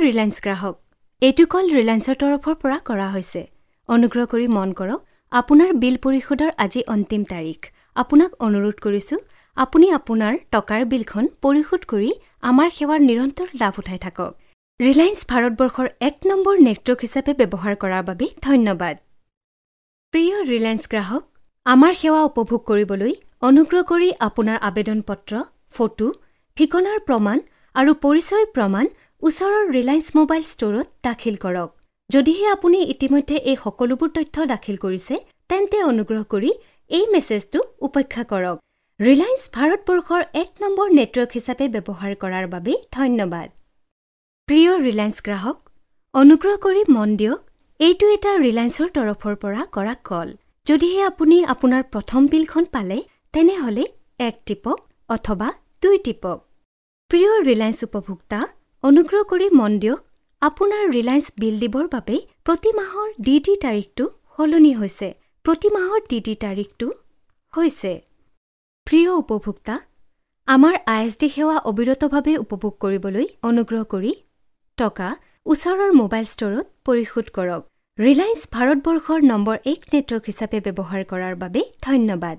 Reliance গ্ৰাহক, এইটো কল ৰিলায়েন্সৰ তৰফৰ পৰা কৰা হৈছে। অনুগ্ৰহ কৰি মন কৰক, আপোনাৰ বিল পৰিশোধৰ আজি অন্তিম তাৰিখ। আপোনাক অনুৰোধ কৰিছোঁ, আপুনি আপোনাৰ টকাৰ বিলখন পৰিশোধ কৰি আমাৰ সেৱাৰ নিৰন্তৰ লাভ উঠাই থাকক। ৰিলায়েন্স ভাৰতবৰ্ষৰ এক নম্বৰ নেটৱৰ্ক হিচাপে ব্যৱহাৰ কৰাৰ বাবে ধন্যবাদ। প্ৰিয় ৰিলায়েন্স গ্ৰাহক, আমাৰ সেৱা উপভোগ কৰিবলৈ অনুগ্ৰহ কৰি আপোনাৰ আবেদন পত্ৰ, ফটো, ঠিকনাৰ প্ৰমাণ আৰু পৰিচয়ৰ প্ৰমাণ ওচৰৰ ৰিলায়েন্স মোবাইল ষ্ট'ৰত দাখিল কৰক। যদিহে আপুনি ইতিমধ্যে এই সকলোবোৰ তথ্য দাখিল কৰিছে, তেন্তে অনুগ্ৰহ কৰি এই মেছেজটো উপেক্ষা কৰক। ৰিলায়েন্স ভাৰতবৰ্ষৰ এক নম্বৰ নেটৱৰ্ক হিচাপে ব্যৱহাৰ কৰাৰ বাবে ধন্যবাদ। প্ৰিয় ৰিলায়েন্স গ্ৰাহক, অনুগ্ৰহ কৰি মন দিয়ক, এইটো এটা ৰিলায়েন্সৰ তৰফৰ পৰা কৰা কল। যদিহে আপুনি আপোনাৰ প্ৰথম বিলখন পালে, তেনেহ'লে 1 টিপক অথবা 2 টিপক। প্ৰিয় ৰিলায়েন্স উপভোক্তা, অনুগ্ৰহ কৰি মন দিয়ক, আপোনাৰ ৰিলায়েন্স বিল দিবৰ বাবে প্ৰতি মাহৰ ডি ডি তাৰিখটো সলনি হৈছে। প্ৰতি মাহৰ ডি ডি তাৰিখটো হৈছে। প্ৰিয় উপভোক্তা, আমাৰ I S D সেৱা অবিৰতভাৱে উপভোগ কৰিবলৈ অনুগ্ৰহ কৰি টকা ওচৰৰ মোবাইল ষ্ট'ৰত পৰিশোধ কৰক। ৰিলায়েন্স ভাৰতবৰ্ষৰ নম্বৰ 1 নেটৱৰ্ক হিচাপে ব্যৱহাৰ কৰাৰ বাবে ধন্যবাদ।